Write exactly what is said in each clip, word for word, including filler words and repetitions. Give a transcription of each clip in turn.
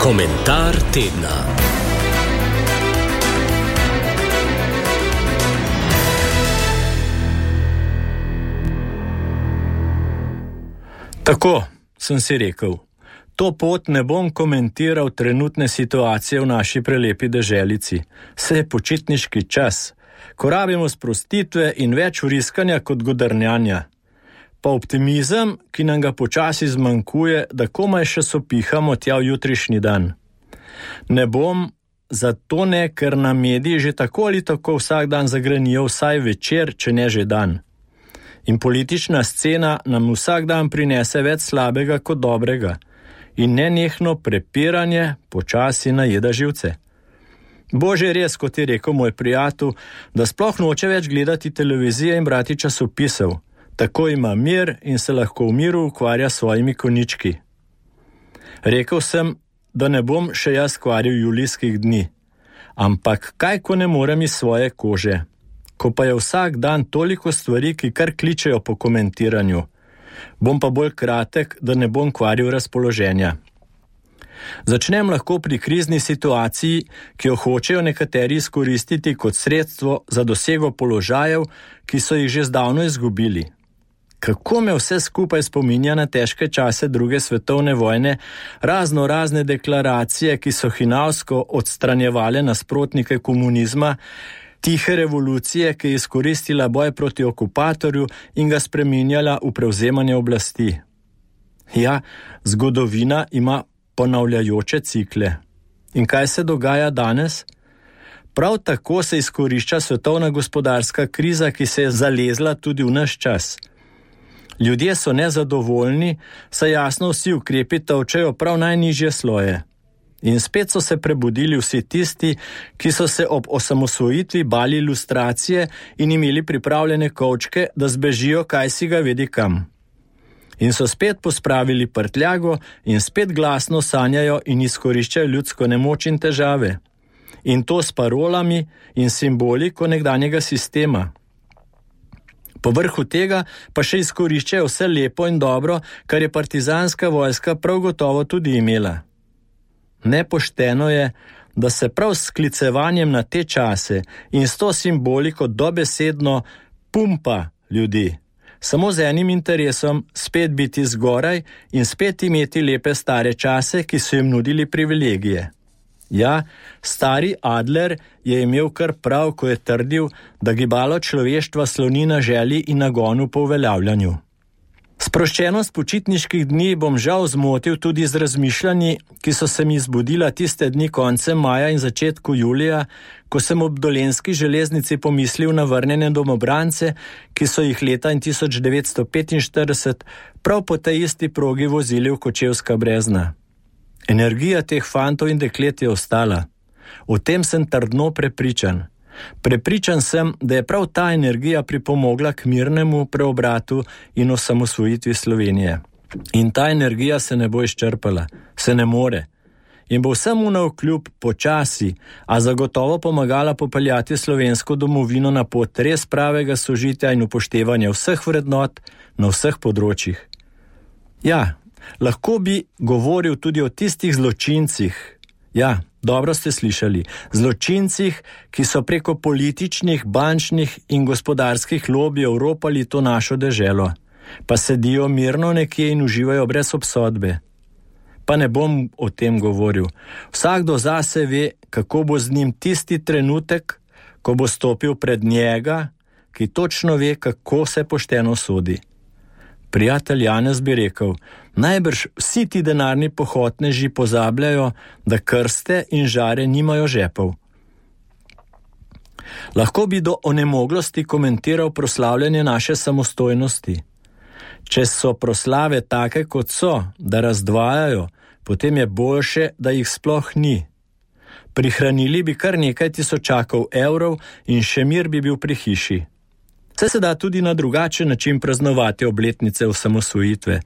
Komentar tedna. Tako, sem si rekel, to pot ne bom komentiral trenutne situacije v naši prelepi deželici. Saj je počitniški čas, ko rabimo sprostitve in več vriskanja kot godrnjanja. Pa optimizem, ki nam ga počasi zmanjkuje, da komaj še sopihamo tja v jutrišnji dan. Ne bom, zato ne, ker na mediji že tako ali tako vsak dan zagrenijo vsaj večer, če ne že dan. In politična scena nam vsak dan prinese več slabega kot dobrega. In nenehno prepiranje počasi najeda živce. Bože, res, kot je rekel moj prijatelj, da sploh noče več gledati televizije in brati časopisov. Tako ima mir in se lahko v miru ukvarja s svojimi konjički. Rekel sem, da ne bom še jaz kvaril julijskih dni. Ampak kaj, ko ne morem iz svoje kože? Ko pa je vsak dan toliko stvari, ki kar kličejo po komentiranju. Bom pa bolj kratek, da ne bom kvaril razpoloženja. Začnem lahko pri krizni situaciji, ki jo hočejo nekateri izkoristiti kot sredstvo za dosego položajev, ki so jih že zdavno izgubili. Kako me vse skupaj spominja na težke čase druge svetovne vojne, razno razne deklaracije, ki so hinavsko odstranjevale nasprotnike komunizma, tihe revolucije, ki je izkoristila boj proti okupatorju in ga spreminjala v prevzemanje oblasti. Ja, zgodovina ima ponavljajoče cikle. In kaj se dogaja danes? Prav tako se izkorišča svetovna gospodarska kriza, ki se je zalezla tudi v naš čas. Ljudje so nezadovoljni, saj jasno vsi ukrepi tolčejo prav najnižje sloje. In spet so se prebudili vsi tisti, ki so se ob osamosvojitvi bali ilustracije in imeli pripravljene kovčke, da zbežijo kaj si ga vedi kam. In so spet pospravili prtljago in spet glasno sanjajo in izkoriščajo ljudsko nemoč in težave. In to s parolami in simboliko nekdanjega sistema. Povrhu tega pa še izkoriščajo vse lepo in dobro, kar je partizanska vojska prav gotovo tudi imela. Nepošteno je, da se prav s sklicevanjem na te čase in s to simboliko dobesedno pumpa ljudi. Samo z enim interesom spet biti zgoraj in spet imeti lepe stare čase, ki so jim nudili privilegije. Ja, stari Adler je imel kar prav, ko je trdil, da gibalo človeštva sloni na želji in nagonu po uveljavljanju. Sproščenost počitniških dni bom žal zmotil tudi z razmišljanji, ki so se mi zbudila tiste dni koncem maja in začetku julija, ko sem ob dolenjski železnici pomislil na vrnjene domobrance, ki so jih leta tisoč devetsto petinštirideset prav po tej isti progi vozili v Kočevska Brezna. Energija teh fantov in deklet je ostala. O tem sem trdno prepričan. Prepričan sem, da je prav ta energija pripomogla k mirnemu preobratu in osamosvojitvi Slovenije. In ta energija se ne bo izčrpala, se ne more. In bo vsemu navkljub počasi, a zagotovo pomagala popeljati slovensko domovino na pot res pravega sožitja in upoštevanja vseh vrednot na vseh področjih. Ja, lahko bi govoril tudi o tistih zločincih. Ja, dobro ste slišali. Zločincih, ki so preko političnih, bančnih in gospodarskih lobijev ropali to našo deželo. Pa sedijo mirno nekje in uživajo brez obsodbe. Pa ne bom o tem govoril. Vsakdo zase ve, kako bo z njim tisti trenutek, ko bo stopil pred njega, ki točno ve, kako se pošteno sodi. Prijatelj Janez bi rekel, najbrž vsi ti denarni pohotneži pozabljajo, da krste in žare nimajo žepov. Lahko bi do onemoglosti komentiral proslavljanje naše samostojnosti. Če so proslave take, kot so, da razdvajajo, potem je boljše, da jih sploh ni. Prihranili bi kar nekaj tisočakov evrov in še mir bi bil pri hiši. Vse se da tudi na drugačen način praznovati obletnice osamosvojitve.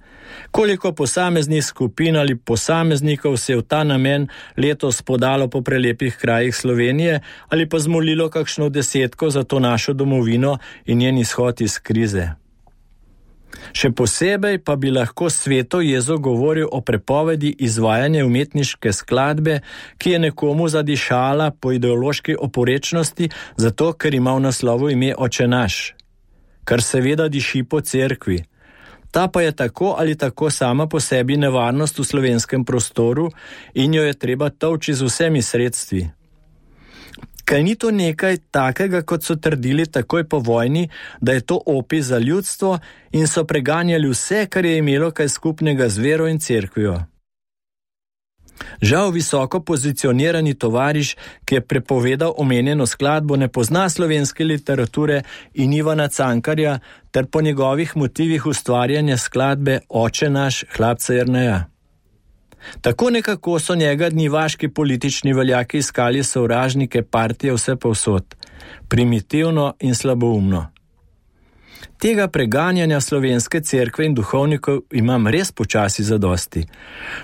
Koliko posameznih skupin ali posameznikov se je v ta namen letos podalo po prelepih krajih Slovenije ali pa zmolilo kakšno desetko za to našo domovino in njen izhod iz krize. Še posebej pa bi lahko Sveto Jezo govoril o prepovedi izvajanja umetniške skladbe, ki je nekomu zadišala po ideološki oporečnosti, zato ker ima v naslovu ime Oče naš, kar seveda diši po cerkvi. Ta pa je tako ali tako sama po sebi nevarnost v slovenskem prostoru in jo je treba tolči z vsemi sredstvi. Kaj ni to nekaj takega, kot so trdili takoj po vojni, da je to opij za ljudstvo in so preganjali vse, kar je imelo kaj skupnega z vero in cerkvijo. Žal visoko pozicionirani tovariš, ki je prepovedal omenjeno skladbo, ne pozna slovenske literature in Ivana Cankarja ter po njegovih motivih ustvarjanja skladbe Oče naš hlapca Jerneja. Tako nekako so njega dnivaški politični veljaki iskali sovražnike partije vse povsod, primitivno in slaboumno. Tega preganjanja slovenske cerkve in duhovnikov imam res počasi zadosti.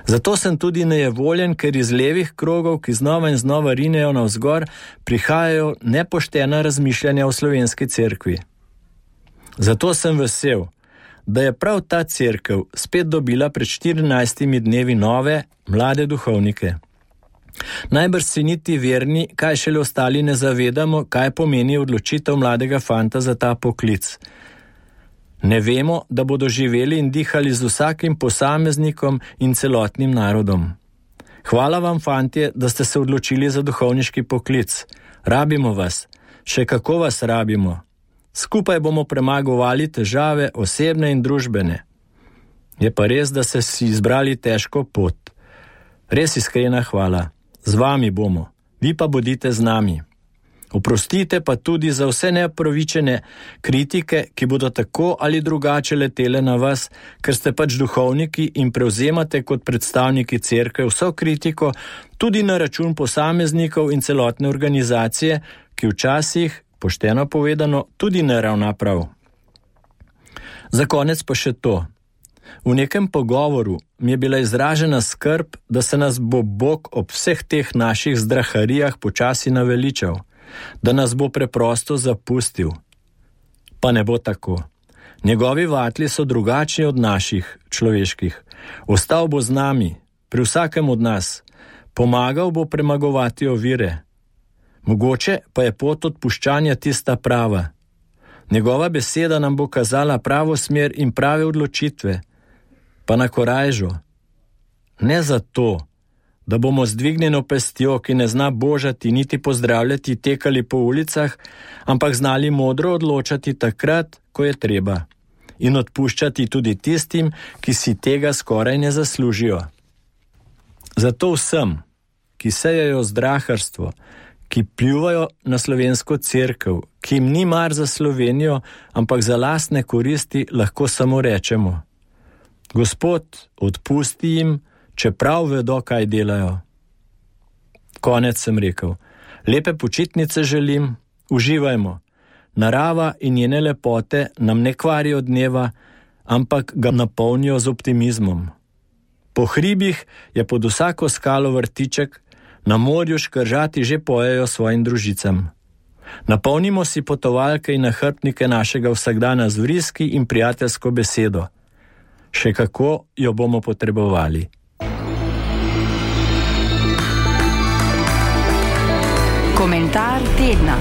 Zato sem tudi nejevoljen, ker iz levih krogov, ki znova in znova rinejo navzgor, prihajajo nepoštena razmišljanja o slovenski cerkvi. Zato sem vesel, da je prav ta cerkev spet dobila pred štirinajstimi dnevi nove, mlade duhovnike. Najbrž si niti verni, kaj šele ostali ne zavedamo, kaj pomeni odločitev mladega fanta za ta poklic. Ne vemo, da bodo živeli in dihali z vsakim posameznikom in celotnim narodom. Hvala vam, fantje, da ste se odločili za duhovniški poklic. Rabimo vas, še kako vas rabimo. Skupaj bomo premagovali težave, osebne in družbene. Je pa res, da ste si izbrali težko pot. Res iskrena hvala. Z vami bomo, vi pa bodite z nami. Oprostite pa tudi za vse neopravičene kritike, ki bodo tako ali drugače letele na vas, ker ste pač duhovniki in prevzemate kot predstavniki cerkve vso kritiko, tudi na račun posameznikov in celotne organizacije, ki včasih, pošteno povedano, tudi ne ravna prav. Za konec pa še to. V nekem pogovoru mi je bila izražena skrb, da se nas bo Bog ob vseh teh naših zdraharijah počasi naveličal, da nas bo preprosto zapustil. Pa ne bo tako. Njegovi vatli so drugačni od naših, človeških. Ostal bo z nami, pri vsakem od nas. Pomagal bo premagovati ovire. Mogoče pa je pot odpuščanja tista prava. Njegova beseda nam bo kazala pravo smer in prave odločitve. Pa na korajžo. Ne zato, da bomo z dvignjeno pestjo, ki ne zna božati niti pozdravljati, tekali po ulicah, ampak znali modro odločati takrat, ko je treba. In odpuščati tudi tistim, ki si tega skoraj ne zaslužijo. Zato vsem, ki sejejo zdraharstvo, ki pljuvajo na slovensko cerkev, ki jim ni mar za Slovenijo, ampak za lastne koristi, lahko samo rečemo: Gospod, odpusti jim, čeprav vedo, kaj delajo. Konec sem rekel. Lepe počitnice želim, uživajmo. Narava in njene lepote nam ne kvarijo dneva, ampak ga napolnijo z optimizmom. Po hribih je pod vsako skalo vrtiček, na morju škržati že pojejo svojim družicam. Napolnimo si potovalke in nahrbtnike našega vsakdana z vriski in prijateljsko besedo. Še kako jo bomo potrebovali. Komentar tedna.